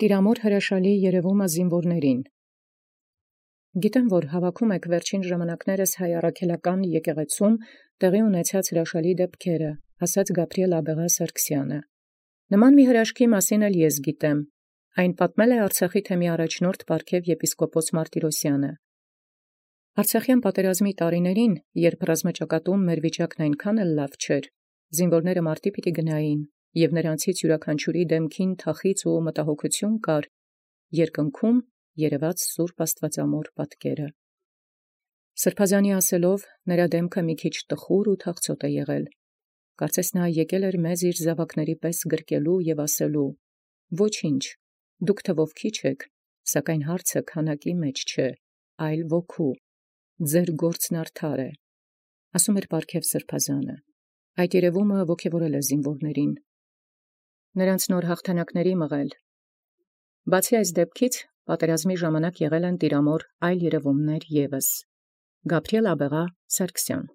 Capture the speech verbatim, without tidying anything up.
Տիրամոր հրաշալի երևումը զինվորներին։ Գիտեմ, որ հավաքում եք վերջին ժամանակներս հայ առաքելական եկեղեցում տեղի ունեցած հրաշալի դեպքերը, ասաց Գաբրիել աբեղա Սարգսյանը։ Նման մի հրաշքի մասին էլ ես գիտեմ, այն պատմել է Արցախի թեմի առաջնորդ պարգև եպիսկոպոս Մարտիրոսյանը։ Արցախյան պատերազմի տարիներին, երբ ռազմաճակատում մեր վիճակն այնքան էլ լավ չէր, զինվորները մարտի պիտի գնային, և նրանցից յուրաքանչյուրի դեմքին թախիծ ու մտահոգություն կար, երկնքում երևաց Սուրբ Աստվածամոր պատկերը։ Սրբազանի ասելով, նրա դեմքը մի քիչ տխուր ու թախծոտ է եղել։ Կարծես նա եկել էր մեզ իր զավակների պես գրկելու և ասելու. «Ոչինչ, դուք թվով քիչ եք, սակայն հարցը քանակի մեջ չէ, այլ ոգու, ձեր գործն արդար է», ասում էր պարգև սրբազանը։ Այդ երևումը ոգևորել է զինվորներին, նրանց նոր հաղթանակների մղել։ Բացի այս դեպքից, պատերազմի ժամանակ եղել են տիրամոր այլ երևումներ ևս։ Գաբրիել աբեղա Սարգսյան։